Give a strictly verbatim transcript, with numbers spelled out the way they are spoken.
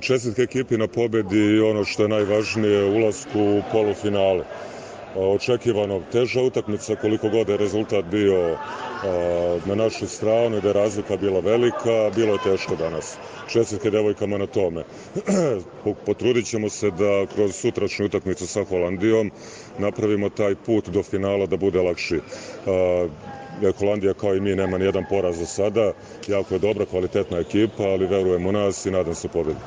Čestitke ekipi na pobedi i ono što je najvažnije, ulasku u polufinale. Očekivano teža utakmica, koliko god je rezultat bio na našu stranu, da je razlika bila velika, bilo je teško danas. Čestitke devojkama na tome. Potrudit ćemo se da kroz sutrašnju utakmicu sa Holandijom napravimo taj put do finala da bude lakši. Holandija kao i mi nema ni jedan poraz do sada, jako je dobra, kvalitetna ekipa, ali verujem u nas i nadam se pobedi.